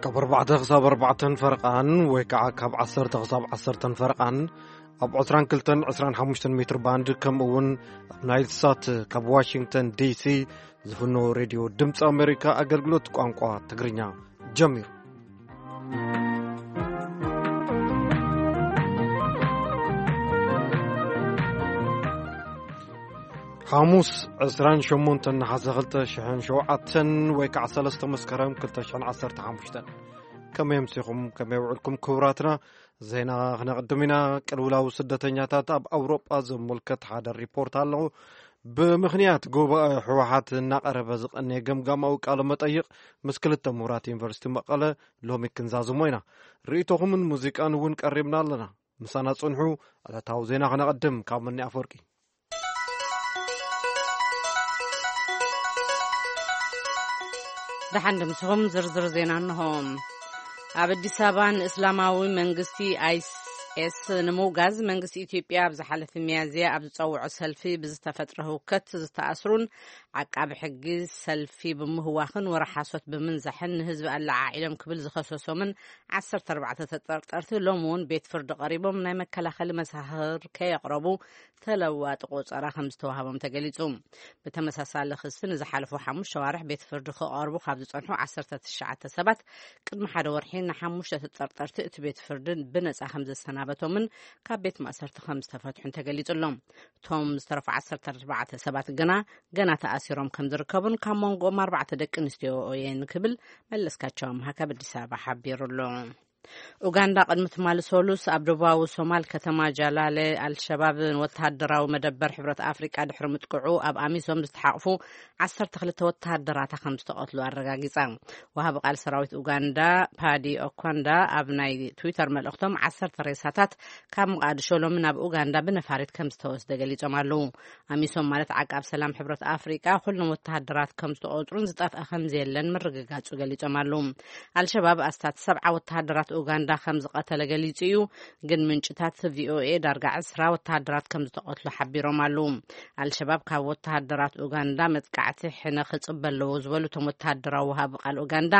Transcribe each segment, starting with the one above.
ካብ ኣርባዕተ ክሳብ ኣርባዕተን ፈረቓን ወይ ከዓ ካብ ዓሰርተ ክሳብ ዓሰርተን ፈረቓን ኣብ ዕስራን ክልተን ዕስራን ሓሙሽተን ሜትር ባንድ፣ ከምኡ እውን ኣብ ናይል ሳት ካብ ዋሽንግተን ዲሲ ዝፍኖ ሬድዮ ድምፂ ኣሜሪካ ኣገልግሎት ቋንቋ ትግርኛ ጀሚሩ። ሓሙስ ዕስራን ሸሞንተን ነሓሰ ክልተ ሽሕን ሸውዓተን ወይ ከዓ ሰለስተ መስከረም ክልተ ሽሕን ዓሰርተ ሓሙሽተን። ከመይ ኣምሲኹም፣ ከመይ ውዕልኩም ክቡራትና? ዜና ክነቕድም ኢና። ቅልውላው ስደተኛታት ኣብ ኣውሮጳ ዘመልከት ሓደ ሪፖርት ኣለኹ። ብምኽንያት ጉባኤ ህወሓት እናቐረበ ዝቐነየ ገምጋማዊ ቃለ መጠይቕ ምስ ክልተ ምሁራት ዩኒቨርሲቲ መቐለ ሎሚ ክንዛዝሞ ኢና። ርእይቶኹምን ሙዚቃን እውን ቀሪብና ኣለና። ምሳና ጽንሑ። ዕለታዊ ዜና ክነቐድም ካብ መኒ ኣፈወርቂ። ደሓን ድምስኹም ዝርዝር ዜና እንሆ። ኣብ ኣዲስ ኣበባ ንእስላማዊ መንግስቲ ኣይኤስ ንምውጋዝ መንግስቲ ኢትዮጵያ ኣብ ዝሓለፈ ሚያዝያ ኣብ ዝጸውዖ ሰልፊ ብዝተፈጥረ ህውከት ዝተኣስሩን ዓቃቢ ሕጊ ሰልፊ ብምህዋኽን ወረ ሓሶት ብምንዛሕን ንህዝቢ ኣለዓዒሎም ክብል ዝኸሰሶምን ዓሰርተ ኣርባዕተ ተጠርጠርቲ ሎሚ እውን ቤት ፍርዲ ቀሪቦም ናይ መከላኸሊ መሳኽር ከየቕረቡ ተለዋጢ ቆጸራ ከም ዝተዋህቦም ተገሊጹ። ብተመሳሳሊ ክሲ ንዝሓለፉ ሓሙሽተ ኣዋርሕ ቤት ፍርዲ ክቐርቡ ካብ ዝጸንሑ ዓሰርተ ትሽዓተ ሰባት ቅድሚ ሓደ ወርሒ ንሓሙሽተ ተጠርጠርቲ እቲ ቤት ፍርዲ ብነጻ ከም ዘሰናበቶምን ካብ ቤት ማእሰርቲ ከም ዝተፈትሑን ተገሊጹ ኣሎ። እቶም ዝተረፉ ዓሰርተ ኣርባዕተ ሰባት ግና ገና ተኣሲሮም ከም ዝርከቡን ካብ መንጎኦም ኣርባዕተ ደቂ ኣንስትዮ እየን ክብል መለስካቸው ኣምሃ ካብ ኣዲስ ኣበባ ሓቢሩ ኣሎ። ኡጋንዳ ቅድሚ ትማሊ ሰሉስ ኣብ ደቡባዊ ሶማል ከተማ ጃላለ ኣልሸባብ ወተሃደራዊ መደበር ሕብረት ኣፍሪቃ ድሕሪ ምጥቅዑ ኣብ ኣሚሶም ዝተሓቕፉ ዓሰርተ ክልተ ወተሃደራታ ከም ዝተቐትሉ ኣረጋጊጻ። ወሃቢ ቃል ሰራዊት ኡጋንዳ ፓዲ ኦኳንዳ ኣብ ናይ ትዊተር መልእኽቶም ዓሰርተ ሬሳታት ካብ መቓድሾ ሎሚ ናብ ኡጋንዳ ብነፋሪት ከም ዝተወስደ ገሊጾም ኣለዉ። ኣሚሶም ማለት ዓቃብ ሰላም ሕብረት ኣፍሪቃ ኩሎም ወተሃደራት ከም ዝተቖጽሩን ዝጠፍአ ከም ዘየለን ምርግጋጹ ገሊጾም ኣለዉ። ኣልሸባብ ኣስታት ሰብዓ ወተሃደራት ኡጋንዳ ከም ዝቐተለ ገሊጹ እዩ። ግን ምንጭታት ቪኦኤ ዳርጋ ዕስራ ወተሃደራት ከም ዝተቐትሉ ሓቢሮም ኣለዉ። ኣልሸባብ ካብ ወተሃደራት ኡጋንዳ መጥቃዕቲ ሕነ ክጽበ ኣለዎ ዝበሉ እቶም ወተሃደራዊ ወሃቢ ቃል ኡጋንዳ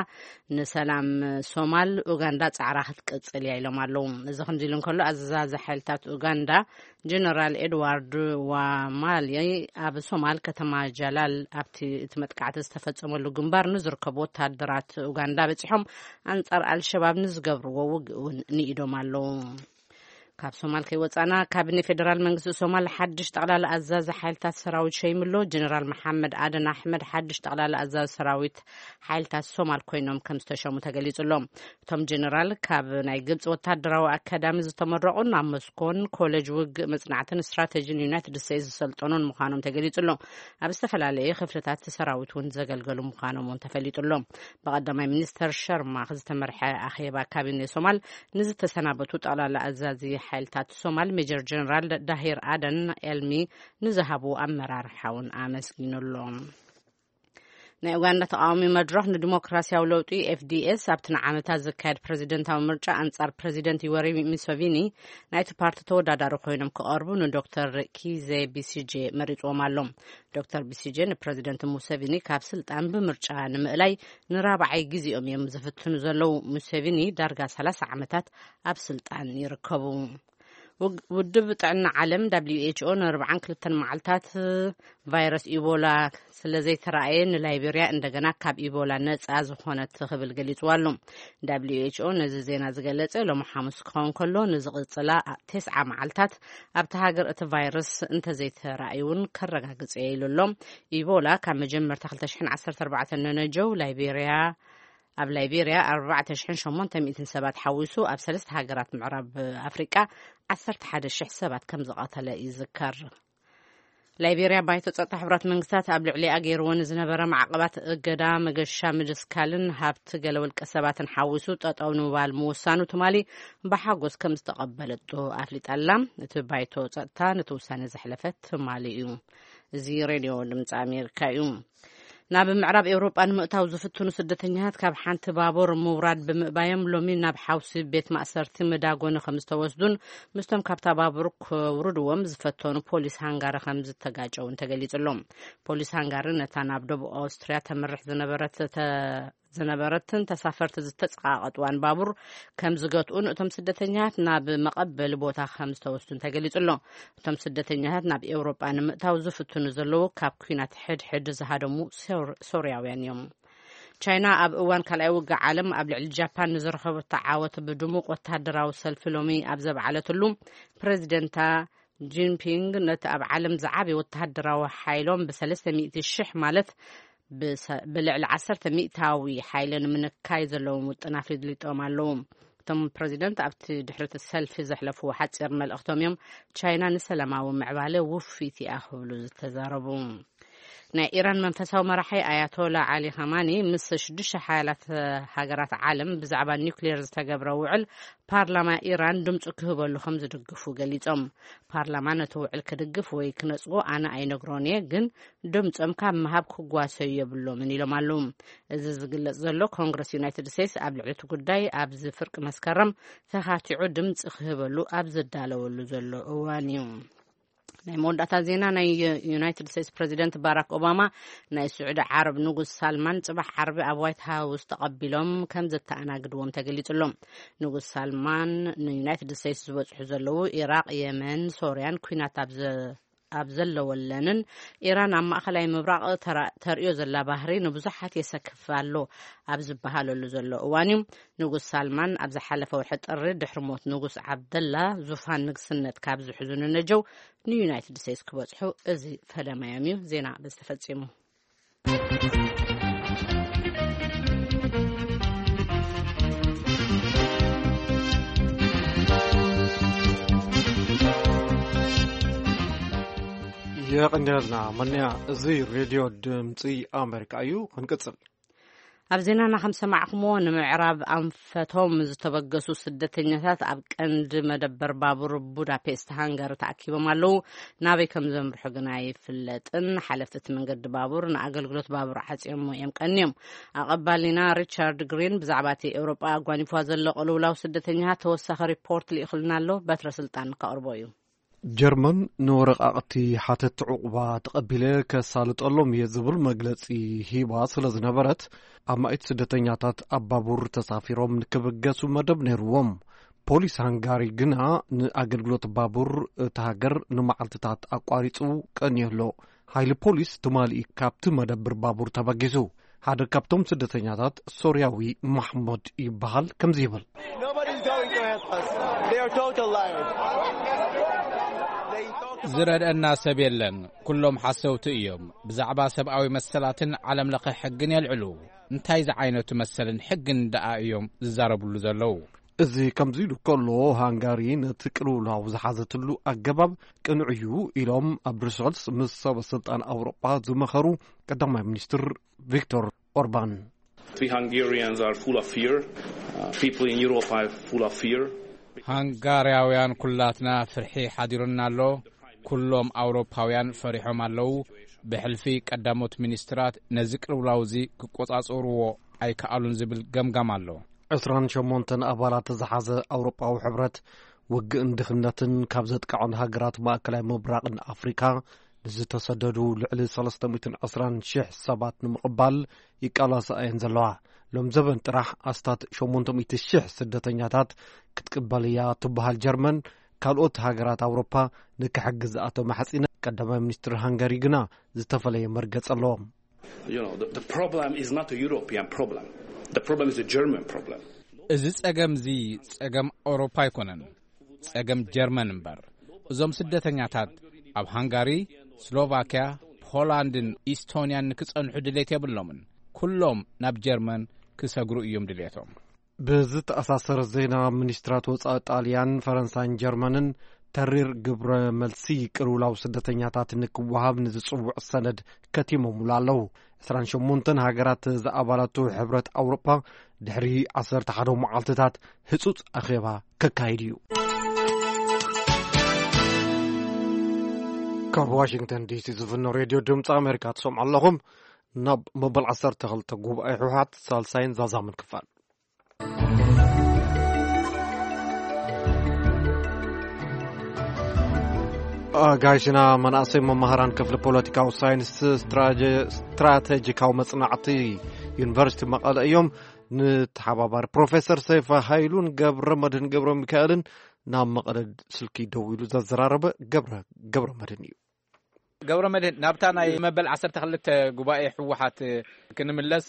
ንሰላም ሶማል ኡጋንዳ ጻዕራ ክትቅጽል እያ ኢሎም ኣለዉ። እዚ ከምዚ ኢሉ እንከሎ ኣዛዚ ሓይልታት ኡጋንዳ ጀነራል ኤድዋርድ ዋማሊ ኣብ ሶማል ከተማ ጃላል ኣብቲ እቲ መጥቃዕቲ ዝተፈጸመሉ ግንባር ንዝርከቡ ወተሃደራት ኡጋንዳ በጺሖም ኣንጻር ኣልሸባብ ንዝገብርዎ ውግእ እውን ንኢዶም ኣለዉ። ካብ ሶማል ከይወጻና፣ ካቢኔ ፌደራል መንግስቲ ሶማል ሓድሽ ጠቕላላ ኣዛዚ ሓይልታት ሰራዊት ሸይምሎ። ጀነራል መሓመድ ኣደን ኣሕመድ ሓድሽ ጠቕላላ ኣዛዚ ሰራዊት ሓይልታት ሶማል ኮይኖም ከም ዝተሸሙ ተገሊጹ ኣሎ። እቶም ጀነራል ካብ ናይ ግብፂ ወታደራዊ ኣካዳሚ ዝተመረቑን ኣብ ሞስኮን ኮሌጅ ውግእ መጽናዕትን ስትራተጂን ዩናይትድ ስቴትስ ዝሰልጠኑን ምዃኖም ተገሊጹ ኣሎ። ኣብ ዝተፈላለየ ክፍልታት ሰራዊት እውን ዘገልገሉ ምዃኖም እውን ተፈሊጡ ኣሎ። ብቐዳማይ ሚኒስተር ሸርማኽ ዝተመርሐ ኣኼባ ካቢኔ ሶማል ንዝተሰናበቱ ጠቕላላ ኣዛዚ ሓይልታት ሶማል ሜጀር ጀነራል ዳሂር ኣደን ኤልሚ ንዝሃብዎ ኣመራርሓ እውን ኣመስጊኑ ኣሎ። ናይ ኡጋንዳ ተቃዋሚ መድረኽ ንዲሞክራሲያዊ ለውጢ ኤፍዲኤስ ኣብቲ ንዓመታት ዝካየድ ፕረዚደንታዊ ምርጫ ኣንጻር ፕረዚደንት ዩወሪ ሙሰቪኒ ናይቲ ፓርቲ ተወዳዳሪ ኮይኖም ክቐርቡ ንዶክተር ኪዜ ቢሲጄ መሪጽዎም ኣሎ። ዶክተር ቢሲጄ ንፕረዚደንት ሙሰቪኒ ካብ ስልጣን ብምርጫ ንምእላይ ንራብዓይ ግዜኦም እዮም ዝፍትኑ ዘለዉ። ሙሰቪኒ ዳርጋ ሰላሳ ዓመታት ኣብ ስልጣን ይርከቡ። ውግ-፣ ውድብ ጥዕና ዓለም ደብሊው ኤች ኦ ንኣርባዓን ክልተን መዓልታት ቫይረስ ኢቦላ ስለ ዘይተራእየ ንላይቤርያ እንደገና ካብ ኢቦላ ነጻ ዝኾነት ክብል ገሊጽዋ ኣሎ። ደብሊው ኤች ኦ ነዚ ዜና ዝገለጸ ሎሚ ሓሙስ ክኸውን ከሎ ንዝቕጽላ ተስዓ መዓልታት ኣብቲ ሃገር እቲ ቫይረስ እንተዘይተራእዩ እውን ከረጋግጽ እየ ኢሉ ኣሎ። ኢቦላ ካብ መጀመርታ ክልተ ሽሕን ዓሰርተ ኣርባዕተን ነነጀው ላይቤርያ ኣብ ላይቤርያ ኣርባዕተ ሽሕን ሸሞንተ ሚእትን ሰባት ሓዊሱ ኣብ ሰለስተ ሃገራት ምዕራብ ኣፍሪቃ ዓሰርተ ሓደ ሽሕ ሰባት ከም ዝቐተለ ይዝከር። ላይቤርያ ባይቶ ጸጥታ ሕቡራት መንግስታት ኣብ ልዕሊኣ ገይርዎ ንዝነበረ ማዕቐባት እገዳ፣ መገሻ ምድስካልን ሃብቲ ገለ ውልቀ ሰባትን ሓዊሱ ጠጠው ንምባል ምውሳኑ ትማሊ ብሓጎስ ከም ዝተቐበለቶ ኣፍሊጣ ኣላ። እቲ ባይቶ ጸጥታ ነቲ ውሳነ ዘሕለፈ ትማሊ እዩ። እዚ ሬድዮ ድምፂ ኣሜሪካ እዩ። ናብ ምዕራብ ኤውሮጳ ንምእታው ዝፍትኑ ስደተኛታት ካብ ሓንቲ ባቡር ምውራድ ብምእባዮም ሎሚ ናብ ሓውሲ ቤት ማእሰርቲ መዳጎኒ ከም ዝተወስዱን ምስቶም ካብታ ባቡር ክውርድዎም ዝፈተኑ ፖሊስ ሃንጋሪ ከም ዝተጋጨውን ተገሊጹ ኣሎ። ፖሊስ ሃንጋሪ ነታ ናብ ደቡብ ኣውስትርያ ተምርሕ ዝነበረት ተ-፣ ዝነበረትን ተሳፈርቲ ዝተጸቓቐጥዋን ባቡር ከም ዝገትኡን እቶም ስደተኛታት ናብ መቐበሊ ቦታ ከም ዝተወስዱን ተገሊጹ ኣሎ። እቶም ስደተኛታት ናብ ኤውሮጳ ንምእታው ዝፍትኑ ዘለዉ ካብ ኲናት ሕድሕድ ዝሃደሙ ሶር-፣ ሶርያውያን እዮም። ቻይና ኣብ እዋን ካልኣይ ውግእ ዓለም ኣብ ልዕሊ ጃፓን ንዝረኸበቶ ዓወት ብድሙቕ ወተሃደራዊ ሰልፊ ሎሚ ኣብ ዘብዓለትሉ፣ ፕሬዚደንታ ጂንፒንግ ነቲ ኣብ ዓለም ዝዓበየ ወተሃደራዊ ሓይሎም ብ ሰለስተ ሚእቲ ሽሕ ማለት ብሰ-፣ ብልዕሊ ዓሰርተ ሚእታዊ ሓይሊ ንምንካይ ዘለዎም ውጥን ኣፍሊጦም ኣለዉ። እቶም ፕሬዚደንት ኣብቲ ድሕሪ እቲ ሰልፊ ዘሕለፍዎ ሓጺር መልእኽቶም እዮም ቻይና ንሰላማዊ ምዕባለ ውፊት እያ ክብሉ ዝተዛረቡ። ናይ ኢራን መንፈሳዊ መራሒ ኣያቶላ ዓሊ ኻማኒ ምስ ሽዱሽተ ሓያላት ሃገራት ዓለም ብዛዕባ ኒውክሌር ዝተገብረ ውዕል ፓርላማ ኢራን ድምፁ ክህበሉ ከም ዝድግፉ ገሊጾም። ፓርላማ ነቲ ውዕል ክድግፍ ወይ ክነጽጎ ኣነ ኣይነግሮን እየ፣ ግን ድምጾም ካብ ምሃብ ክጓሰዩ የብሎምን ኢሎም ኣለዉ። እዚ ዝግለጽ ዘሎ ኮንግረስ ዩናይትድ ስቴትስ ኣብ ልዕሊ እቲ ጉዳይ ኣብዚ ፍርቂ መስከረም ተኻቲዑ ድምፂ ክህበሉ ኣብ ዝዳለወሉ ዘሎ እዋን እዩ። ናይ መወዳእታ ዜና፣ ናይ ዩናይትድ ስቴትስ ፕሬዚደንት ባራክ ኦባማ ናይ ስዑዲ ዓረብ ንጉስ ሳልማን ጽባሕ ዓርቢ ኣብ ዋይት ሃውስ ተቐቢሎም ከም ዘተኣናግድዎም ተገሊጹ ኣሎ። ንጉስ ሳልማን ንዩናይትድ ስቴትስ ዝበጽሑ ዘለዉ ኢራቕ፣ የመን፣ ሶርያን ኲናት ኣብ ዘ-፣ ኣብ ዘለወለንን ኢራን ኣብ ማእከላይ ምብራቕ ተራ-፣ ተርእዮ ዘላ ባህሪ ንብዙሓት የሰክፍ ኣሎ ኣብ ዝበሃለሉ ዘሎ እዋን እዩ። ንጉስ ሳልማን ኣብ ዝሓለፈ ወርሒ ጥሪ ድሕሪ ሞት ንጉስ ዓብደላ ዙፋን ንግስነት ካብ ዝሕዙ ንነጀው ንዩናይትድ ስቴትስ ክበጽሑ እዚ ፈለማዮም እዩ። ዜና በዚ ተፈጺሙ። የቐንየልና መንያ። እዚ ሬድዮ ድምፂ ኣሜሪካ እዩ። ክንቅፅል። ኣብ ዜናና ከም ሰማዕኩምዎ፣ ንምዕራብ ኣንፈቶም ዝተበገሱ ስደተኛታት ኣብ ቀንዲ መደበር ባቡር ቡዳፔስት ሃንጋሪ ተኣኪቦም ኣለዉ። ናበይ ከም ዘምርሑ ግና ኣይፍለጥን። ሓለፍቲ እቲ መንገዲ ባቡር ንኣገልግሎት ባቡር ዓጽዮሞ እዮም ቀንዮም። ኣቐባሊና ሪቻርድ ግሪን ብዛዕባ እቲ ኤውሮጳ ኣጓኒፍዋ ዘሎ ቅልውላው ስደተኛታት ተወሳኺ ሪፖርት ልኢኹልና ኣሎ። በትረ ስልጣን ከቕርቦ እዩ። ጀርመን ንወረቓቕቲ ሓተቲ ዕቑባ ተቐቢለ ከሳልጠሎም እየ ዝብል መግለጺ ሂባ ስለ ዝነበረት፣ ኣማኢት ስደተኛታት ኣብ ባቡር ተሳፊሮም ንክብገሱ መደብ ነይርዎም። ፖሊስ ሃንጋሪ ግና ንኣገልግሎት ባቡር እታ ሃገር ንመዓልትታት ኣቋሪጹ ቀንዩ ኣሎ። ሓይሊ ፖሊስ ትማሊ ካብቲ መደብር ባቡር ተበጊሱ። ሓደ ካብቶም ስደተኛታት ሶርያዊ ማሕሙድ ይበሃል፣ ከምዚ ይብል። Nobody's going to help us. They are total liars. They talk about ዝረድአና ሰብ የለን። ኩሎም ሓሰውቲ እዮም። ብዛዕባ ሰብኣዊ መሰላትን ዓለም ለኸ ሕግን የልዕሉ። እንታይ ዝዓይነቱ መሰልን ሕግን ደኣ እዮም ዝዛረብሉ ዘለዉ? እዚ ከምዚ ኢሉ ከሎ፣ ሃንጋሪ ነቲ ቅልውላው ዝሓዘትሉ ኣገባብ ቅኑዕ እዩ ኢሎም ኣብ ብሩሰልስ ምስ ሰበ ስልጣን ኣውሮጳ ዝመኸሩ ቀዳማይ ሚኒስትር ቪክቶር ኦርባን። We Hungarians are full of fear. Uh, people in Europe are full of fear. ሃንጋርያውያን ኩላትና ፍርሒ ሓዲሩና ኣሎ። ኩሎም ኣውሮፓውያን ፈሪሖም ኣለዉ። ብሕልፊ ቀዳሞት ሚኒስትራት ነዚ ቅልውላው እዚ ክቆጻጸርዎ ኣይከኣሉን ዝብል ገምጋም ኣሎ። ዕስራን ሸሞንተን ኣባላት ዝሓዘ ኣውሮጳዊ ሕብረት፣ ውግእን ድኽነትን ካብ ዘጥቅዖን ሃገራት ማእከላይ ምብራቕን ኣፍሪካ ንዝተሰደዱ ልዕሊ ሰለስተ ሚእትን ዕስራን ሽሕ ሰባት ንምቕባል ይቃላሳ እየን ዘለዋ። ሎም ዘበን ጥራሕ ኣስታት ሸሞንተ ሚእቲ ሽሕ ስደተኛታት ክትቅበል እያ ትበሃል ጀርመን። ካልኦት ሃገራት ኣውሮፓ ንክሕግዝኣ ተማሕጺነ። ቀዳማይ ሚኒስትር ሃንጋሪ ግና ዝተፈለየ መርገጽ ኣለዎም። You know, the, the problem is not a European problem. The problem is a German problem. እዚ ጸገም እዚ ጸገም ኣውሮፓ ኣይኮነን፣ ጸገም ጀርመን እምበር። እዞም ስደተኛታት ኣብ ሃንጋሪ፣ ስሎቫክያ፣ ፖላንድን ኢስቶንያን ንክጸንሑ ድሌት የብሎምን። ኩሎም ናብ ጀርመን ክሰግሩ እዮም ድሌቶም። ብዝተኣሳሰረ ዜና፣ ሚኒስትራት ወጻኢ ጣልያን፣ ፈረንሳይን ጀርመንን ተሪር ግብረ መልሲ ቅልውላው ስደተኛታት ንክወሃብ ንዝጽውዕ ሰነድ ከቲሞምሉ ኣለዉ። ዕስራን ሸሞንተን ሃገራት ዝኣባላቱ ሕብረት ኣውሮጳ ድሕሪ ዓሰርተ ሓደ መዓልትታት ህጹጽ ኣኼባ ከካይድ እዩ። ካብ ዋሽንግተን ዲሲ ዝፍኖ ሬድዮ ድምፂ ኣሜሪካ ትሰምዑ ኣለኹም። ናብ መበል ዓሰርተ ክልተ ጉባኤ ህወሓት ሳልሳይን ዛዛምን ክፋል። ኣጋይሽና መናእሰይ መማህራን ክፍሊ ፖለቲካዊ ሳይንስ ስትራጀ-፣ ስትራቴጂካዊ መጽናዕቲ ዩኒቨርሲቲ መቐለ እዮም። ንተሓባባሪ ፕሮፌሰር ሰይፈ ሃይሉን ገብረ መድህን ገብረ ሚካኤልን ናብ መቐለ ስልኪ ደዊሉ ዘዘራረበ ገብረ፣ ገብረ መድህን እዩ። ገብረ መድህን፣ ናብታ ናይ መበል ዓሰርተ ክልተ ጉባኤ ህወሓት ክንምለስ፣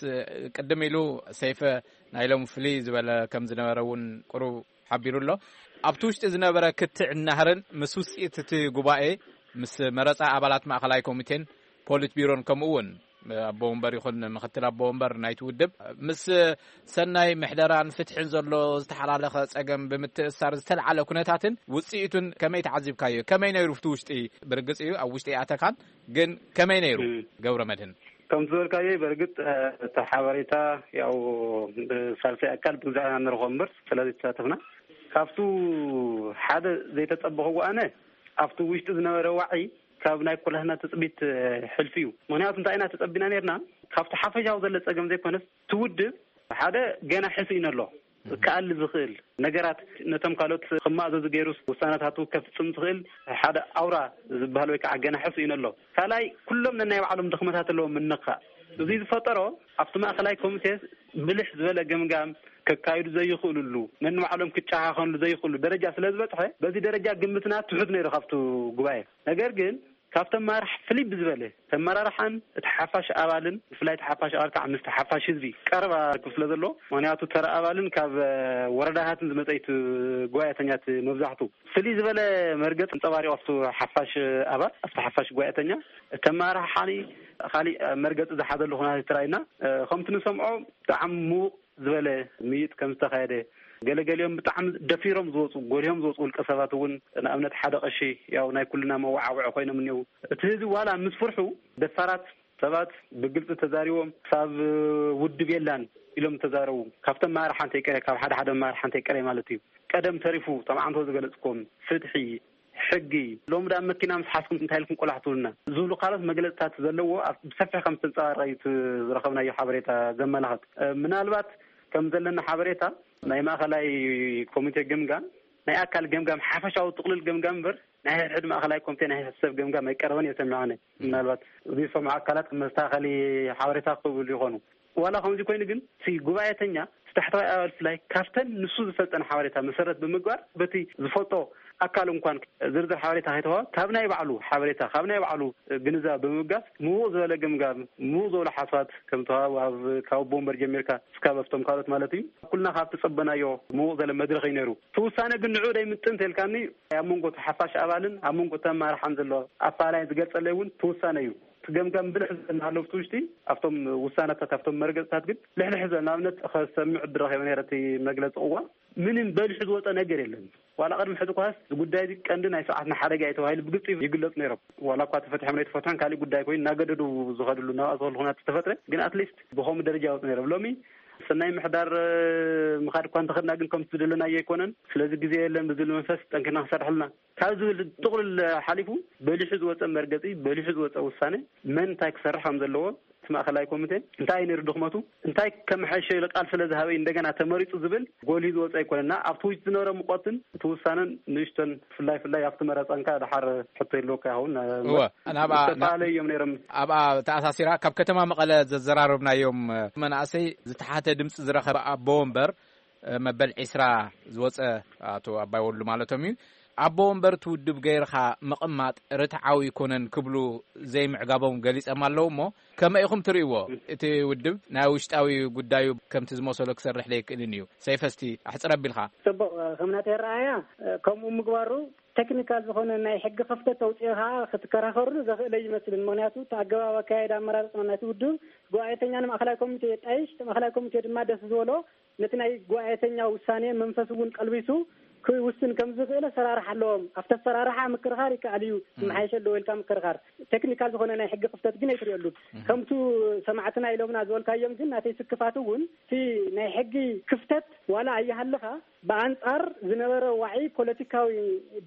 ቅድም ኢሉ ሰይፈ ናይ ሎም ፍልይ ዝበለ ከም ዝነበረ እውን ቁሩብ ሓቢሩ ኣሎ። ኣብቲ ውሽጢ ዝነበረ ክትዕ ናህርን ምስ ውፅኢት እቲ ጉባኤ፣ ምስ መረፃ ኣባላት ማእኸላይ ኮሚቴን ፖሊት ቢሮን፣ ከምኡ እውን ኣቦ ወንበር ይኹን ምክትል ኣቦ ወንበር ናይቲ ውድብ፣ ምስ ሰናይ ምሕደራን ፍትሕን ዘሎ ዝተሓላለኸ ጸገም ብምትእሳር ዝተልዓለ ኩነታትን ውጽኢቱን ከመይ ተዓዚብካዮ? ከመይ ነይሩ ኣብቲ ውሽጢ? ብርግጽ እዩ ኣብ ውሽጢ ኣተካን፣ ግን ከመይ ነይሩ? እም። ገብረ መድህን? ከም ዝበልካዮ፣ በርግጥ፣ እ፣ እቲ ሓበሬታ ያው ብሳልሳይ ኣካል ብግዛዕና ንረኽቦ እምበር፣ ስለዚ ተሳተፍና። ካብቱ ሓደ ዘይተጸበኽዎ ኣነ፣ ኣብቲ ውሽጢ ዝነበረ ዋዒ ካብ ናይ ኩላህና ትጽቢት፣ እ፣ ሕልፊ እዩ። ምኽንያቱ እንታይ ኢና ተጸቢና ነርና? ካብቲ ሓፈሻዊ ዘሎ ጸገም ዘይኮነስ፣ እቲ ውድብ ሓደ ገና ሕሱይ ኣሎ። ክኣሊ ዝኽእል ነገራት፣ ነቶም ካልኦት ክማእዘዙ ገይሩስ ውሳነታቱ ከፍጽም ዝኽእል ሓደ ኣውራ ዝበሃል ወይ ከዓ ገና ሕሱይ ኣሎ። ካልኣይ፣ ኩሎም ነናይ ባዕሎም ድኽመታት ኣለዎም ምንኻእ። እዚ ዝፈጠሮ ኣብቲ ማእከላይ ኮሚቴ ብልሕ ዝበለ ገምጋም ከካይዱ ዘይኽእሉሉ፣ ነንባዕሎም ክጨኻኸንሉ ዘይኽእሉ ደረጃ ስለ ዝበጽሐ፣ በዚ ደረጃ ግምትና ትሑት ነይሩ ካብቲ ጉባኤ። ነገር ግን ካብቶም መራሕቲ ፍልይ ብዝበለ ተመራርሓን እቲ ሓፋሽ ኣባልን፣ ብፍላይ እቲ ሓፋሽ ኣባል ከዓ ምስቲ ሓፋሽ ህዝቢ ቀረባ ርክብ ስለ ዘለዎ፣ ምኽንያቱ ተራ ኣባልን ካብ፣ እ፣ ወረዳታትን ዝመጸ እዩ እቲ ጉባኤተኛ እቲ መብዛሕቱ። ፍልይ ዝበለ መርገጽ ኣንጸባሪቑ ኣብቲ ሓፋሽ ኣባል፣ ኣብቲ ሓፋሽ ጉባኤተኛ። እቲ ኣመራርሓኒ ካሊእ መርገጺ ዝሓዘሉ ኩነታት ተራእዩና። እ፣ ከምቲ ንሰምዖ ብጣዕሚ ምዉቕ ዝበለ ምይጥ ከም ዝተኻየደ፣ ገለገሊኦም ብጣዕሚ ደፊሮም ዝወፁ፣ ጎሊሆም ዝወፁ ውልቀ ሰባት እውን፣ ንኣብነት ሓደ ቀሺ፣ ያው ናይ ኩልና መወዓውዒ ኮይኖም እኒው። እቲ ህዝቢ ዋላ ምስ ፍርሑ ደፋራት ሰባት ብግልፂ ተዛሪቦም ክሳብ ውድብ የላን ኢሎም ተዛረቡ። ካብቶም መራሕቲ ሓንቲ ቀረ፣ ካብ ሓደ ሓደ መራሕቲ ሓንቲ ቀረ ማለት እዩ። ቀደም ተሪፉ፣ እቶም ዓንቶ ዝገለፅኩም ፍትሒ፣ ሕጊ፣ ሎሚ ዳ መኪና ምስ ሓዝኩም እንታይ ኢልኩም ቆላሕቱልና ዝብሉ ካልኦት መግለፅታት ዘለዎ ኣብ ብሰፊሕ ከም ዝተንፀባረቐ እዩ እቲ ዝረኸብናዮ ሓበሬታ ዘመላኽት። እ፣ ምናልባት ከም ዘለና ሓበሬታ ናይ ማእኸላይ ኮሚቴ ገምጋም ናይ ኣካል ገምጋም ሓፈሻዊ ጥቕልል ገምጋም እምበር ናይ ሕድሕድ ማእኸላይ ኮሚቴ ናይ ሰብ ገምጋም ኣይቀረበን እየ ሰሚዐ ኣነ። ምናልባት ዝሰምዑ ኣካላት መስተኻኸሊ ሓበሬታ ክህብሉ ይኾኑ። ዋላ ከምዚ ኮይኑ ግን እቲ ጉባኤተኛ እቲ ታሕተዋይ ኣባል ብፍላይ ካብተን ንሱ ዝፈልጠን ሓበሬታ መሰረት ብምግባር በቲ ዝፈልጦ ኣካል እንኳን ዝርዝር ሓበሬታ ከይተዋሃበ ካብ ናይ ባዕሉ ሓበሬታ ካብ ናይ ባዕሉ ግንዛብ ብምብጋስ ምዉቕ ዝበለ ግምጋም ምዉቕ ዝበለ ሓሳባት ከም ተዋሃቡ ኣብ ካብ ኣቦ ወንበር ጀሚርካ እስካብ ኣብቶም ካልኦት ማለት እዩ ኩልና ካብ ተጸበናዮ ምዉቕ ዝበለ መድረኽ እዩ ነይሩ። እቲ ውሳነ ግን ንዕኡ ደይምጥን ተልካኒ ኣብ መንጎ እቲ ሓፋሽ ኣባልን ኣብ መንጎ እቲ ኣመራርሓን ዘሎ ኣፈላላይ ዝገልጸለይ እውን እቲ ውሳነ እዩ። እቲ ገምጋም ብልሕ ዝበለ እናሃለዉ ኣብቲ ውሽጢ ኣብቶም ውሳነታት ኣብቶም መርገፅታት ግን ልሕልሕ ዝበለ ንኣብነት ከሰምዕ ዕድል ረኺበ ነይረ እቲ መግለፂ እዋ ምንም በሊሑ ዝወፀ ነገር የለን። ዋላ ቅድሚ ሕዚ ኳስ እዚ ጉዳይ እዚ ቀንዲ ናይ ስርዓትና ሓደጋ እዩ ተባሂሉ ብግልፂ ይግለፁ ነይሮም። ዋላ እኳ ተፈትሖም ናይ ተፈትሖን ካሊእ ጉዳይ ኮይኑ እናገደዱ ዝኸድሉ እናባእሰሉ ኩነታት ዝተፈጥረ ግን ኣትሊስት ብኸምኡ ደረጃ ይወፁ ነይሮም። ሎሚ ሰናይ ምሕዳር ምኻድ እኳ እንተኸድና ግን ከምቲ ዝደለናዮ ኣይኮነን። ስለዚ ግዜ የለን ብዝብል መንፈስ ጠንኪርና ክሰርሐልና ካብ ዝብል ጥቕልል ሓሊፉ በሊሑ ዝወፀ መርገፂ በሊሑ ዝወፀ ውሳነ መን እንታይ ክሰርሕ ከም ዘለዎ እቲ ማእኸላይ ኮሚቴ እንታይ ነይሩ ድኽመቱ እንታይ ከመሓይሸ ኢሉ ቃል ስለ ዝሃበ እንደገና ተመሪፁ ዝብል ጎልዩ ዝወፀ ኣይኮነና ኣብቲ ውጭ ዝነበረ ሙቐትን እቲ ውሳነን ንእሽቶን ፍላይ ፍላይ ኣብቲ መረፃንካ ድሓር ሕቶ ይልወካ ይኸውን እወ ናብኣ ዝተፈላለየ እዮም ነይሮም። ኣብኣ ተኣሳሲራ ካብ ከተማ መቐለ ዘዘራረብናዮም መናእሰይ ዝተሓተ ድምፂ ዝረኸበ ኣቦ ወንበር መበል ዒስራ ዝወፀ ኣቶ ኣባይ ወሉ ማለቶም እዩ። ኣቦ ወንበር እቲ ውድብ ገይርኻ ምቕማጥ ርትዓዊ ኣይኮነን ክብሉ ዘይምዕጋቦም ገሊፀም ኣለዉ እሞ ከመይ ኢኹም ትርእይዎ? እቲ ውድብ ናይ ውሽጣዊ ጉዳዩ ከምቲ ዝመሰሎ ክሰርሕ ዘይክእልን እዩ። ሰይፈ እስቲ ኣሕፅር ኣቢልካ። ፅቡቕ ከም ናተይ ኣረኣእያ ከምኡ ምግባሩ ቴክኒካል ዝኾነ ናይ ሕጊ ክፍተት ተውፅኦ ከዓ ክትከራኸርሉ ዘኽእለ ይመስልን። ምክንያቱ እቲ ኣገባብ ኣካየዳ ኣመራርፃ ናይቲ ውድብ ጉባኤተኛ ንማእኸላይ ኮሚቴ የጣይሽ፣ እቲ ማእኸላይ ኮሚቴ ድማ ደስ ዝበሎ ነቲ ናይ ጉባኤተኛ ውሳኔ መንፈስ እውን ቀልቢሱ ክውስን ከም ዝኽእል ኣሰራርሓ ኣለዎም። ኣብቲ ኣሰራርሓ ምክርኻር ይከኣል እዩ፣ ክመሓየሽ ኣለዎ ኢልካ ምክርኻር። ቴክኒካል ዝኾነ ናይ ሕጊ ክፍተት ግን ኣይትርእየሉን። ከምቱ ሰማዕትና ኢሎምና ዝበልካዮም ግን ናተይ ስክፋት እውን እቲ ናይ ሕጊ ክፍተት ዋላ ኣይሃልኻ ብኣንጻር ዝነበረ ዋዒ ፖለቲካዊ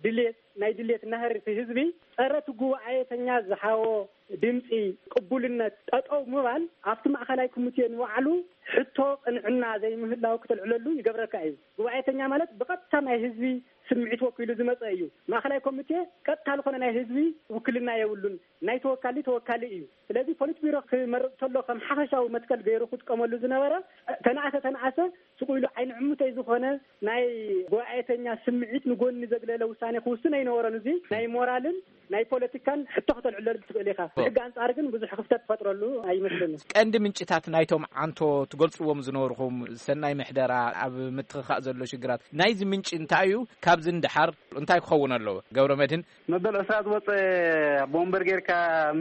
ድሌት ናይ ድሌት ናህሪ እቲ ህዝቢ ጸረ እቲ ጉባኤተኛ ዝሃቦ ድምጺ ቅቡልነት ጠጠው ምባል ኣብቲ ማእኸላይ ኮሚቴ ንባዕሉ ሕቶ ቅንዕና ዘይምህላው ክተልዕለሉ ይገብረካ እዩ። ጉባኤተኛ ማለት ብቐጥታ ናይ ህዝቢ ስምዒት ወኪሉ ዝመጸ እዩ። ማእኸላይ ኮሚቴ ቀጥታ ዝኾነ ናይ ህዝቢ ውክልና የብሉን። ናይ ተወካሊ ተወካሊ እዩ። ስለዚ ፖሊት ቢሮ ክመርጽ ከሎ ከም ሓፈሻዊ መትከል ገይሩ ክጥቀመሉ ዝነበረ፣ ተነኣሰ ተነኣሰ ስቕ ኢሉ ዓይኒ ዕሙተይ ዝኾነ ናይ ጉባኤተኛ ስምዒት ንጎኒ ዘግለለ ውሳኔ ክውስን ኣይነበሮን። እዚ ናይ ሞራልን ናይ ፖለቲካን ሕቶ ክተልዕለሉ ትኽእል ኢኻ። ብሕጊ ኣንጻር ግን ብዙሕ ክፍተት ትፈጥረሉ ኣይመስለንን። ቀንዲ ምንጭታት ናይቶም ዓንቶ ትገልጽዎም ዝነበርኩም ሰናይ ምሕደራ፣ ኣብ ምትኽኻእ ዘሎ ሽግራት፣ ናይዚ ምንጪ እንታይ እዩ? ካብዚ ንደሓር እንታይ ክኸውን ኣለዎ? ገብረ መድህን። መበል ዕስራ ዝወፀ ቦምበር ጌርካ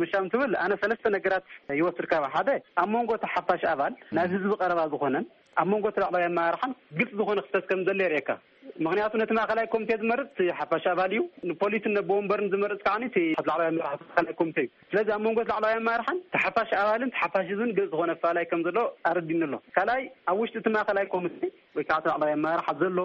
ምሻም ትብል፣ ኣነ ሰለስተ ነገራት ይወስድ። ካብ ሓደ፣ ኣብ መንጎ እቲ ሓፋሽ ኣባል ናብ ህዝቢ ቀረባ ዝኾነን ኣብ መንጎ እቲ ላዕለዋይ ኣመራርሓን ግልፂ ዝኾነ ክፍተት ከም ዘሎ የርእየካ። ምክንያቱ ነቲ ማእኸላይ ኮሚቴ ዝመርፅ እቲ ሓፋሽ ኣባል እዩ። ንፖሊስን ነቦ ወንበርን ዝመርፅ ከዓ እቲ ላዕለዋይ ኣመራርሓ እቲ ማእኸላይ ኮሚቴ እዩ። ስለዚ ኣብ መንጎ እቲ ላዕለዋይ ኣመራርሓን እቲ ሓፋሽ ኣባልን እቲ ሓፋሽ ህዝብን ግልፂ ዝኾነ ኣፈላላይ ከም ዘሎ ኣረዲኒ ኣሎ። ካልኣይ፣ ኣብ ውሽጢ እቲ ማእኸላይ ኮሚቴ ወይ ከዓ እቲ ላዕለዋይ ኣመራርሓ ዘሎ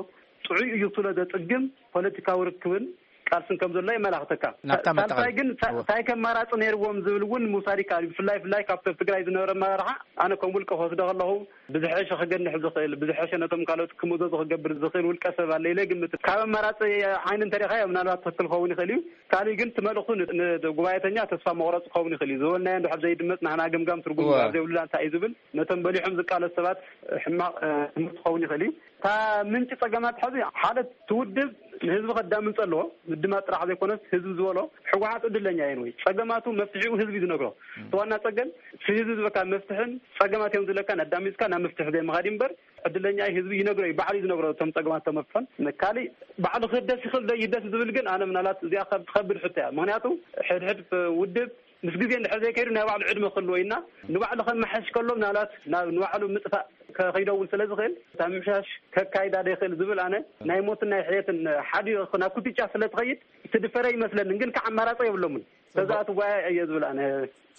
ጥዑይ እዩ ትብሎ ዘፅግም ፖለቲካዊ ርክብን ቃልስን ከም ዘሎ የመላኽተካ። ናብታ ሳልሳይ መጠቓለሊ። ግን ታ- እወ። እንታይ ከም ኣማራፂ ነይርዎም ዝብል እውን ምውሳድ ይከኣል እዩ። ብፍላይ ብፍላይ ካብቲ ኣብ ትግራይ ዝነበረ ኣመራርሓ ኣነ ከም ውልቀ ክወስዶ ከለኹ ብዝሐሸ ክገንሕ ዝኽእል፣ ብዝሐሸ ነቶም ካልኦት ክምእዘዙ ክገብር ዝኽእል ውልቀ ሰብ ኣለ ኢለ ግምት። ካብ ኣማራፂ ዓይኒ እንተሪእኻዮ ምናልባት ትኽክል ክኸውን ይኽእል እዩ። ካልእ ግን እቲ መልእኽቱ ን- ንጉባኤተኛ ተስፋ መቑረፂ ክኸውን ይኽእል እዩ። ዝበልናዮ እንድሕር ዘይድመፅ ንሕና ገምጋም ትርጉም እወ። ኣብ ዘይብሉላ እንታይ እዩ ዝብል ነቶም በሊሖም ዝቃለሱ ሰባት ሕማቕ እ፣ ትምህርቲ ክኸውን ይኽእል እዩ። እታ ምንጪ ጸገማት ሕዚ ሓደ እቲ ውድብ ንህዝቢ ከዳምፅ ኣለዎ። ምድማፅ ጥራሕ ዘይኮነስ ህዝቢ ዝበሎ ህወሓት ዕድለኛ እየን ወይ ጸገማቱ መፍትሒኡ ህዝቢ እዩ ዝነግሮ። እቲ ዋና ጸገም እቲ ህዝቢ ዝበካ መፍትሕን ጸገማት እዮም ዝብለካን ኣዳሚፅካ ናብ መፍትሒ ዘይምኻድ እዩ እምበር ዕድለኛ እዩ ህዝቢ ይነግሮ እዩ፣ ባዕሉ እዩ ዝነግሮ እቶም ጸገማት ተመፍሖን። ካሊእ ባዕሉ ክህደስ ይኽእል ዶ ይህደስ ዝብል ግን ኣነ ምናልባት እዚኣ ከብ- ትኸብድ ሕቶ እያ። ምክንያቱ ሕድሕድ ውድብ ምስ ግዜ እንድሕር ዘይከይዱ ናይ ባዕሉ ዕድመ ክህልዎ ኢና። ንባዕሉ ከመሓሽ ከሎ ምናልባት ናብ ንባዕሉ ምጥፋእ ከኸይደውን ስለ ዝኽእል እታ ምምሻሽ ከካይዳ ዶ ይኽእል ዝብል ኣነ ናይ ሞትን ናይ ሕየትን ሓዲኡ ናብ ኩትጫ ስለ ትኸይድ ትድፈረ ይመስለንን፣ ግን ከዓ ኣማራፂ የብሎምን። ተዛእቲ ጓያ እየ ዝብል ኣነ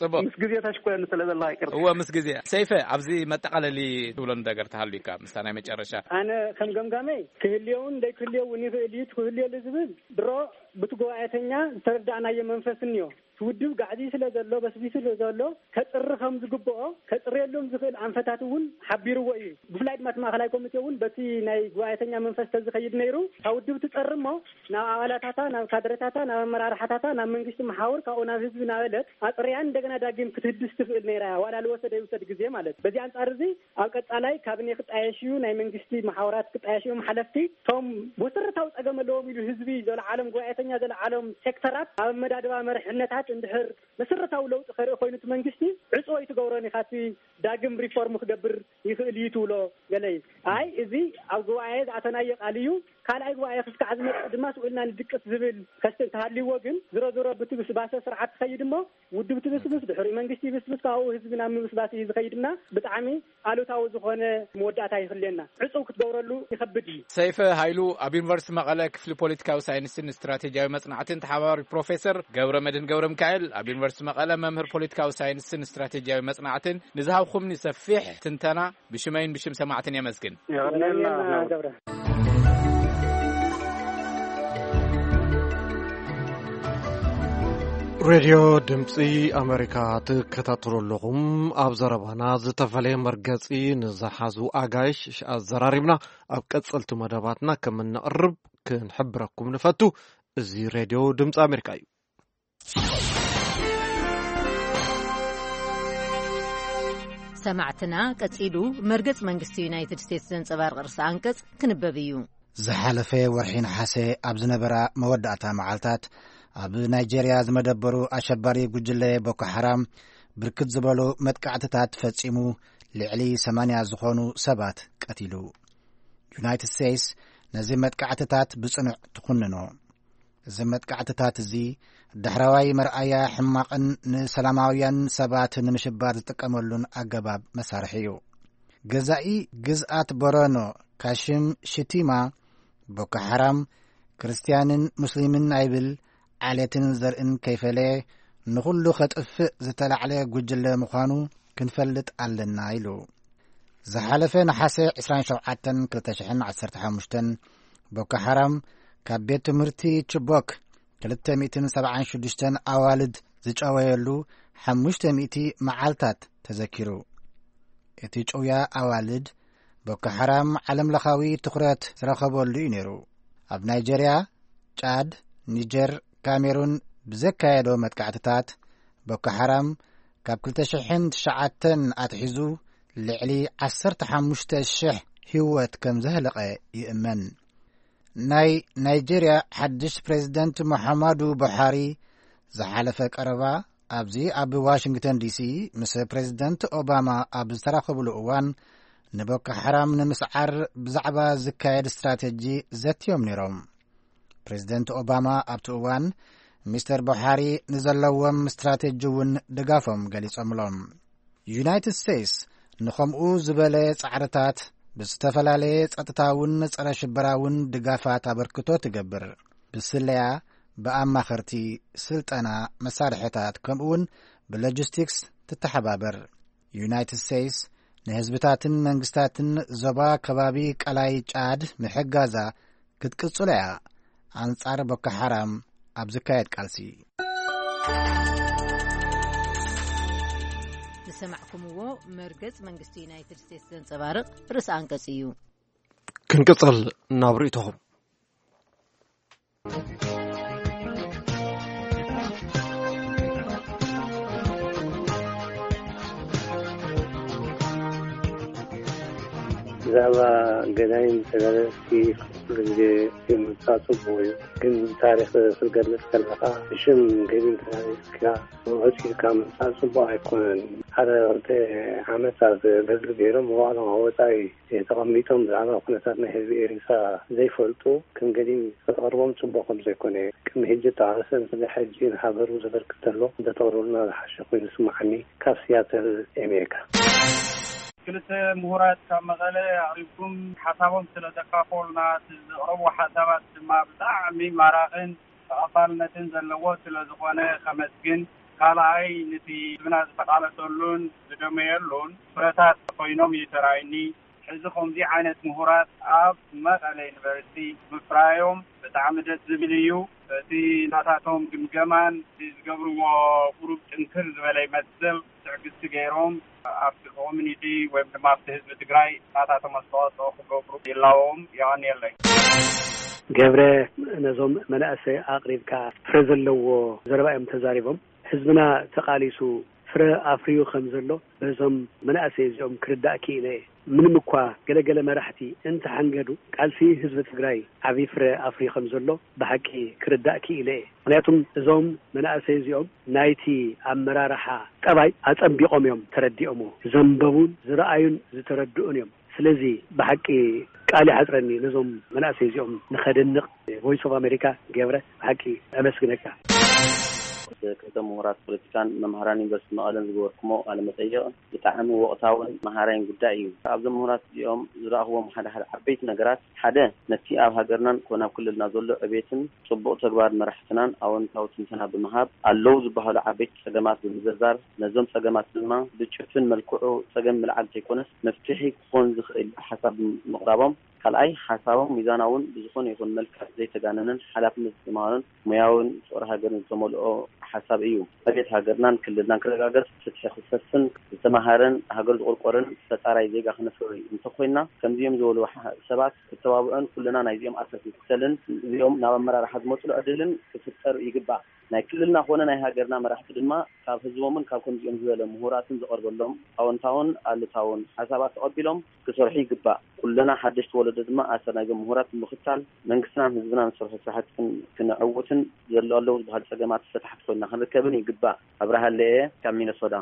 ጽቡቕ። ምስ ግዜ ተሽኮየኒ ስለ ዘለኻ ይቅርታ። እወ፣ ምስ ግዜ። ሰይፈ፣ ኣብዚ መጠቓለሊ ትብሎ ነገር ተሃልዩካ ምስታ ናይ መጨረሻ። ኣነ ከም ገምጋመይ ክህልየውን ዘይክህልየውን ይኽእል እዩ። ክህልየሉ ዝብል ድሮ ብቲ ጉባኤተኛ ዝተረዳእናዮ መንፈስ እኒዮ። እቲ ውድብ ጋዕዝዩ ስለ ዘሎ፣ በስቢሱ ስለ ዘሎ፣ ከጽሪ ከም ዝግብኦ፣ ከጽርየሎም ዝኽእል ኣንፈታት እውን ሓቢርዎ እዩ። ብፍላይ ድማ እቲ ማእከላይ ኮሚቴ እውን በቲ ናይ ጉባኤተኛ መንፈስ ተዝኸይድ ነይሩ፣ እታ ውድብ ትጸሪ እሞ፣ ናብ ኣባላታታ፣ ናብ ካድረታታ፣ ናብ ኣመራርሓታታ፣ ናብ መንግስቲ መሓውር፣ ካብኡ ናብ ህዝቢ እናበለት ኣጽርያ እንደገና ዳግም ክትህድስ ትኽእል ነይራ እያ፣ ዋላ ልወሰደ ይውሰድ ግዜ ማለት። በዚ ኣንጻር እዚ ኣብ ቀጻላይ ካቢኔ ክጣየሽ እዩ፣ ናይ መንግስቲ መሓውራት ክጣየሽ እዮም ሓለፍቲ። እቶም መሰረታዊ ጸገም ኣለዎም ኢሉ ህዝቢ ዘለዓሎም፣ ጉባኤተኛ ዘለዓሎም ሴክተራት ኣብ ኣመዳድባ መርሕነታት እንድሕር መሰረታዊ ለውጢ ከርኢ ኮይኑ እቲ መንግስቲ ዕጹ ኣይትገብሮን ኢኻ፣ እቲ ዳግም ሪፎርም ክገብር ይኽእል እዩ ትብሎ ገለ እዩ። ኣይ እዚ ኣብ ጉባኤ ዝኣተናዮ ቃል እዩ፣ ካልኣይ ጉባኤ ክስካዕ ዝመጽእ ድማ ስኡ ኢልና ንድቅስ ዝብል ከስተ እንተሃልይዎ ግን ዝሮ ዝሮ ብትብስባሰ ስርዓት ትኸይድ እሞ ውድብ ትብስብስ፣ ድሕሪኡ መንግስቲ ይብስብስ፣ ካብኡ ህዝቢ ናብ ምብስባስ እዩ ዝኸይድና ብጣዕሚ ኣሉታዊ ዝኾነ መወዳእታ ይኽልየና። ዕጹው ክትገብረሉ ይኸብድ እዩ። ሰይፈ ሃይሉ ኣብ ዩኒቨርሲቲ መቐለ ክፍሊ ፖለቲካዊ ሳይንስን ስትራቴጂያዊ መጽናዕትን ተሓባባሪ ፕሮፌሰር፣ ገብረ መድህን ገብረ ሚካኤል ኣብ ዩኒቨርሲቲ መቐለ መምህር ፖለቲካዊ ሳይንስን ስትራቴጂያዊ መጽናዕትን ንዝሃብኩምኒ ሰፊሕ ትንተና ብሽመይን ብሽም ሰማዕትን የመስግን። የቐንየልና። ገብረ። ሬድዮ ድምፂ ኣሜሪካ ትከታተሉ ኣለኹም። ኣብ ዘረባና ዝተፈለየ መርገፂ ንዝሓዙ ኣጋይሽ ኣዘራሪብና ኣብ ቀፀልቲ መደባትና ከም እነቕርብ ክንሕብረኩም ንፈቱ። እዚ ሬድዮ ድምፂ ኣሜሪካ እዩ። ሰማዕትና፣ ቀጺሉ መርገጽ መንግስቲ ዩናይትድ ስቴትስ ዘንጸባርቕ ርእሰ ኣንቀጽ ክንበብ እዩ። ዝሓለፈ ወርሒ ነሓሰ ኣብ ዝነበራ መወዳእታ መዓልታት፣ ኣብ ናይጄርያ ዝመደበሩ ኣሸባሪ ጉጅለ ቦኮ ሓራም ብርክት ዝበሉ መጥቃዕትታት ፈጺሙ፣ ልዕሊ ሰማንያ ዝኾኑ ሰባት ቀቲሉ። ዩናይትድ ስቴትስ ነዚ መጥቃዕትታት ብጽኑዕ ትኹንኖ። እዚ መጥቃዕትታት እዚ ዳሕራዋይ መርኣያ ሕማቕን ንሰላማውያን ሰባት ንምሽባር ዝጥቀመሉን ኣገባብ መሳርሒ እዩ። ገዛኢ ግዝኣት ቦረኖ ካሽም ሽቲማ፣ ቦኮ ሓራም ክርስትያንን ሙስሊምን ኣይብል፣ ዓሌትን ዘርእን ከይፈለየ ንኹሉ ከጥፍእ ዝተላዕለ ጉጅለ ምዃኑ ክንፈልጥ ኣለና ኢሉ። ዝሓለፈ ነሓሰ ዕስራን ሸውዓተን ክልተ ሽሕን ዓሰርተ ሓሙሽተን፣ ቦኮ ሓራም ካብ ቤት ትምህርቲ ችቦክ ክልተ ሚእትን ሰብዓን ሽዱሽተን ኣዋልድ ዝጨወየሉ ሓሙሽተ ሚእቲ መዓልታት ተዘኪሩ። እቲ ጭውያ ኣዋልድ፣ ቦኮ ሓራም ዓለምለኻዊ ትኹረት ዝረኸበሉ እዩ ነይሩ። ኣብ ናይጀርያ፣ ጫድ፣ ኒጀር፣ ካሜሩን ብዘካየዶ መጥቃዕትታት፣ ቦኮ ሓራም ካብ ክልተ ሽሕን ትሽዓተን ኣትሒዙ ልዕሊ ዓሰርተ ሓሙሽተ ሽሕ ህይወት ከም ዘህለቐ ይእመን። ናይ ናይጀርያ ሓድሽ ፕሬዝደንት ሙሓማዱ ቡሓሪ ዝሓለፈ ቀረባ ኣብዚ ኣብ ዋሽንግተን ዲሲ ምስ ፕሬዝደንት ኦባማ ኣብ ዝተራኸብሉ እዋን፣ ንቦኮ ሓራም ንምስዓር ብዛዕባ ዝካየድ ስትራተጂ ዘትዮም ነይሮም። ፕሬዝደንት ኦባማ ኣብቲ እዋን፣ ሚስተር ቡሓሪ ንዘለዎም ስትራተጂ እውን ድጋፎም ገሊጾምሎም። ዩናይትድ ስቴትስ ንኸምኡ ዝበለ ጻዕርታት ብዝተፈላለየ ጸጥታውን ጸረ ሽበራውን ድጋፋት ኣበርክቶ ትገብር። ብስለያ፣ ብኣማኸርቲ፣ ስልጠና፣ መሳርሕታት፣ ከምኡውን ብሎጂስቲክስ ትተሓባበር። ዩናይትድ ስቴትስ ንህዝብታትን መንግስታትን ዞባ ከባቢ ቀላይ ጫድ ምሕጋዛ ክትቅጽሎ እያ፣ ኣንጻር ቦኮ ሓራም ኣብ ዝካየድ ቃልሲ። ዝሰማዕኩምዎ መርገጽ መንግስቲ ዩናይትድ ስቴትስ ዘንጸባርቕ ርእሰ ኣንቀጽ እዩ። ክንቅጽል ናብ ርእይቶኹም። ብዛዕባ ገዳይም ተጋደልቲ ኩሉ ግዜ ምምጻእ ጽቡቕ እዩ፣ ግን ታሪኽ ክትገልጽ ከለኻ ብሽም ገዲም ተጋደልትካ ውሕስ ኢልካ ምምጻእ ጽቡቕ ኣይኮነን። ሓደ ክልተ ዓመት ኣብ በድሪ ገይሮም መዋዕሎም ኣብ ወጻኢ ተቐሚጦም ብዛዕባ ኩነታት ናይ ህዝቢ ኤሪትራ ዘይፈልጡ ከም ገዲም ከተቕርቦም ጽቡቕ ከም ዘይኮነ፣ ቅድሚ ሕጂ እተቓለሰ ንስለ ሕጂ ንሃገሩ ዘበርክት ዘሎ እንተተቕርቡልና ዝሓሸ ኮይኑ ይስምዓኒ። ካብ ሲያትል ኣሜሪካ። ክልተ ምሁራት ካብ መቐለ ኣቕሪብኩም ሓሳቦም ስለ ዘካፈሉና፣ እቲ ዘቕረብዎ ሓሳባት ድማ ብጣዕሚ ማራኽን ተቐባልነትን ዘለዎ ስለ ዝኾነ ከመስግን፣ ካልኣይ ንቲ ህዝብና ዝተቓለሰሉን ዝደመየሉን ፍረታት ኮይኖም እዩ ተራእዩኒ። ሕዚ ከምዚ ዓይነት ምሁራት ኣብ መቐለ ዩኒቨርሲቲ ምፍራዮም ብጣዕሚ ደስ ዝብል እዩ። እቲ ናታቶም ግምገማን እቲ ዝገብርዎ ቁሩብ ጥንክር ዝበለ ይመስል። ትዕግስቲ ገይሮም ኣብቲ ኮሚኒቲ ወይም ድማ ኣብቲ ህዝቢ ትግራይ ናታቶም ኣስተዋፅኦ ክገብሩ ይላዎም። የቐንየለይ። ገብረ፣ ነዞም መናእሰይ ኣቕሪብካ ፍረ ዘለዎ ዘረባ እዮም ተዛሪቦም። ህዝብና ተቓሊሱ ፍረ ኣፍርዩ ከም ዘሎ በዞም መናእሰይ እዚኦም ክርዳእ ክኢለ እየ። ምንም እኳ ገለገለ መራሕቲ እንተሓንገዱ፣ ቃልሲ ህዝቢ ትግራይ ዓብዪ ፍረ ኣፍርዩ ከም ዘሎ ብሓቂ ክርዳእ ክኢለ እየ። ምኽንያቱም እዞም መናእሰይ እዚኦም ናይቲ ኣመራርሓ ጠባይ ኣጸቢቖም እዮም ተረዲኦምዎ። ዘንበቡን ዝረኣዩን ዝተረድኡን እዮም። ስለዚ ብሓቂ ቃል ይሓጽረኒ ነዞም መናእሰይ እዚኦም ንኸድንቕ። ቮይስ ኦፍ ኣሜሪካ ገብረ፣ ብሓቂ ኣመስግነካ። ክልተ ምሁራት ፖለቲካን መምሃራን ዩኒቨርሲቲ መቐለን ዝገበርኩሞ ቃለ መጠይቕ ብጣዕሚ ወቕታውን መሃራይን ጉዳይ እዩ። ካብዞም ምሁራት እዚኦም ዝረኣኽዎም ሓደ ሓደ ዓበይቲ ነገራት፣ ሓደ ነቲ ኣብ ሃገርናን ኮነ ኣብ ክልልና ዘሎ ዕቤትን ጽቡቕ ተግባር መራሕትናን ኣወንታዊ ትንተና ብምሃብ ኣለዉ ዝበሃሉ ዓበይቲ ጸገማት ብምዝርዛር፣ ነዞም ጸገማት ድማ ብጭፍን መልክዑ ጸገም ምልዓል ዘይኮነስ መፍትሒ ክኾን ዝኽእል ሓሳብ ምቕራቦም፣ ካልኣይ ሓሳቦም ሚዛናውን ብዝኾነ ይኹን መልክዕ ዘይተጋነነን ሓላፍነት ዝተማህሮን ሞያውን ፍቕሪ ሃገርን ዝተመልኦ ሓሳብ እዩ። ዕቤት ሃገርናን ክልልናን ክረጋገጽ፣ ፍትሒ ክሰፍን፣ ዝተማህረን ሃገሩ ዝቑርቆርን ፈጣራይ ዜጋ ክነፍሪ እንተኾይንና፣ ከምዚኦም ዝበሉ ሓ- ሰባት ክተባብዑን ኩልና ናይዚኦም ኣሰር ክንክተልን እዚኦም ናብ ኣመራርሓ ዝመጽሉ ዕድልን ክፍጠር ይግባእ። ናይ ክልልና ኮነ ናይ ሃገርና መራሕቲ ድማ ካብ ህዝቦምን ካብ ከምዚኦም ዝበለ ምሁራትን ዝቐርበሎም ኣወንታውን ኣሉታውን ሓሳባት ተቐቢሎም ክሰርሑ ይግባእ። ኩልና ሓደሽቲ ወለዶ ድማ ኣሰር ናይዞም ምሁራት ብምኽታል መንግስትናን ህዝብናን ዝሰርሖ ስራሕቲ ክን- ክነዕውትን ዘሎ ኣለዉ ዝበሃሉ ጸገማት ፈታሕቲ ኮይንና ክንርከብን ይግባእ። ኣብርሃ ለየ ካብ ሚነሶታ።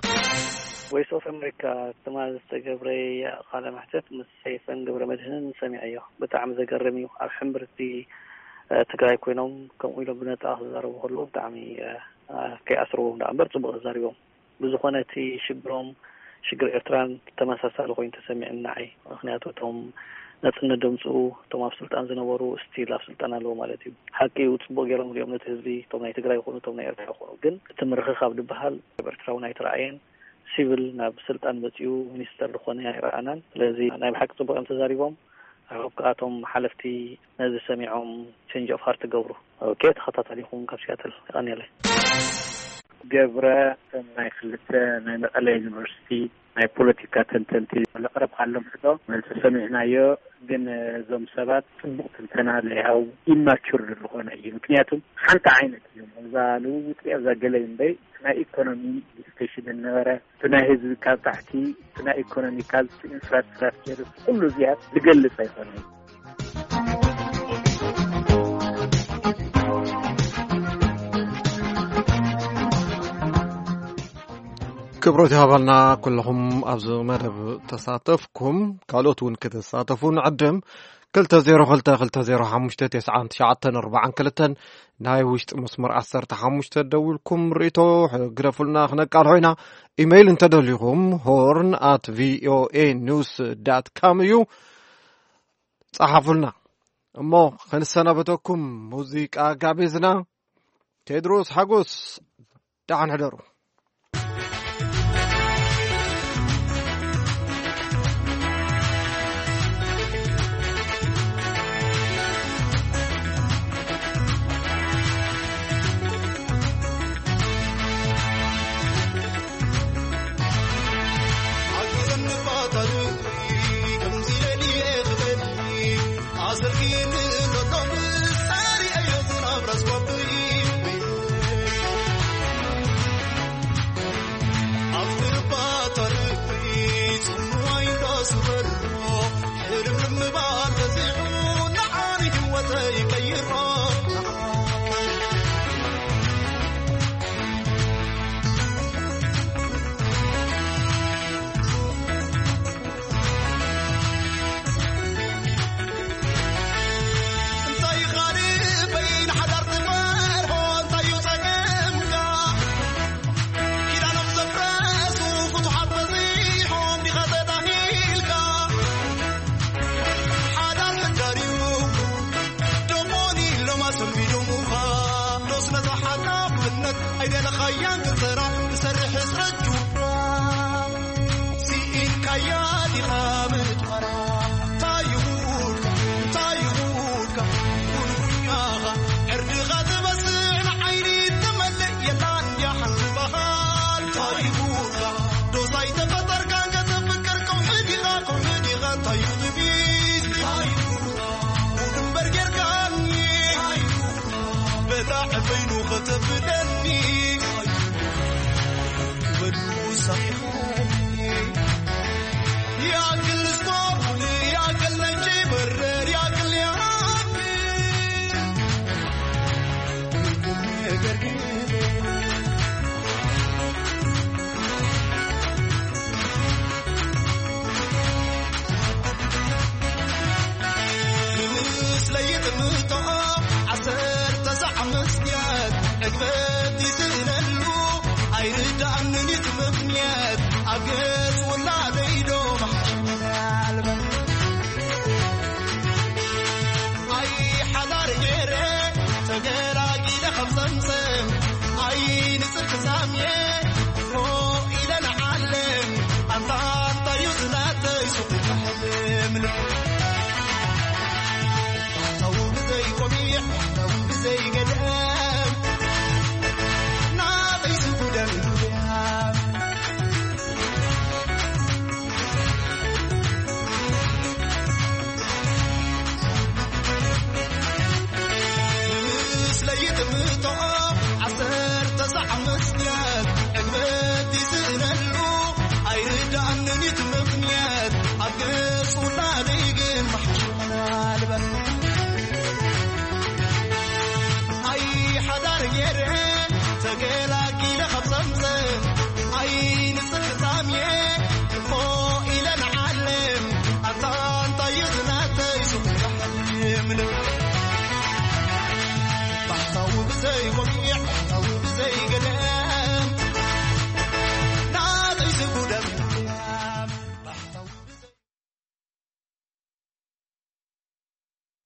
ቮይስ ኦፍ ኣሜሪካ ትማሊ ዝተገብረየ ቃለ መሕተት ምስ ሰይፈን ገብረ መድህንን ሰሚዐዮ። ብጣዕሚ ዘገርም እዩ። ኣብ ሕምብርቲ ትግራይ ኮይኖም ከምኡ ኢሎም ብነጻ ክዛረቡ ከለዉ ብጣዕሚ ከይኣስርዎም ደኣ እምበር ጽቡቕ ተዛሪቦም። ብዝኾነ እቲ ሽግሮም ሽግር ኤርትራን ተመሳሳሊ ኮይኑ ተሰሚዕኒ ንዓይ። ምኽንያቱ እቶም ናጽነት ደምጽኡ እቶም ኣብ ስልጣን ዝነበሩ ስቲል ኣብ ስልጣን ኣለዉ ማለት እዩ። ሓቂ እዩ ጽቡቕ ገይሮም ሪኦም ነቲ ህዝቢ እቶም ናይ ትግራይ ይኹኑ እቶም ናይ ኤርትራ ይኹኑ። ግን እቲ ምርኽኻብ ዝበሃል ኣብ ኤርትራ እውን ኣይተረኣየን። ሲቪል ናብ ስልጣን መጺኡ ሚኒስተር ዝኾነ ኣይረኣናን። ስለዚ ናይ ብሓቂ ጽቡቕ እዮም ተዛሪቦም። I hope ከኣ እቶም ሓለፍቲ ነዚ ሰሚዖም change of heart ክገብሩ። ኦኬ ተኸታታሊኹም ካብ ሲያትል የቐንየለይ። ገብረ ከም ናይ ክልተ ናይ መቐለ ዩኒቨርሲቲ ናይ ፖለቲካ ተንተንቲ ለቕረብ ካሎም ሕቶ መልሲ ሰሚዕናዮ። ግን እዞም ሰባት ጽቡቕ ትንተና ለይሃው ኢማቹር ዝኾነ እዩ። ምክንያቱም ሓንቲ ዓይነት እዮም። እዛ ልውውጥ እዛ ገለ እምበይ ናይ ኢኮኖሚ ዲስከሽን ነበረ። እቲ ናይ ህዝቢ ካብ ታሕቲ፣ እቲ ናይ ኢኮኖሚ ካብ ኢንፍራስትራክቸር፣ ኩሉ እዚኣ ዝገልጽ ኣይኮነን። ክብሮት ይሃባልና ኩለኹም ኣብዚ መደብ ተሳተፍኩም። ካልኦት እውን ክትሳተፉ ንዕድም። ክልተ ዜሮ ክልተ ክልተ ዜሮ ሓሙሽተ ተስዓን ትሽዓተን ኣርባዓን ክልተን ናይ ውሽጢ መስመር ዓሰርተ ሓሙሽተ ደዊልኩም ርእይቶ ግደፉልና፣ ክነቃልሖ ኢና። ኢሜይል እንተደሊኹም ሆርን ኣት ቪኦኤ ኒውስ ዳት ካም እዩ። ጸሓፉልና። እሞ ክንሰናበተኩም ሙዚቃ ጋቢዝና። ቴድሮስ ሓጎስ፣ ደሓን ሕደሩ።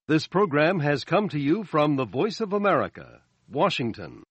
This program has come to you from the Voice of America, Washington.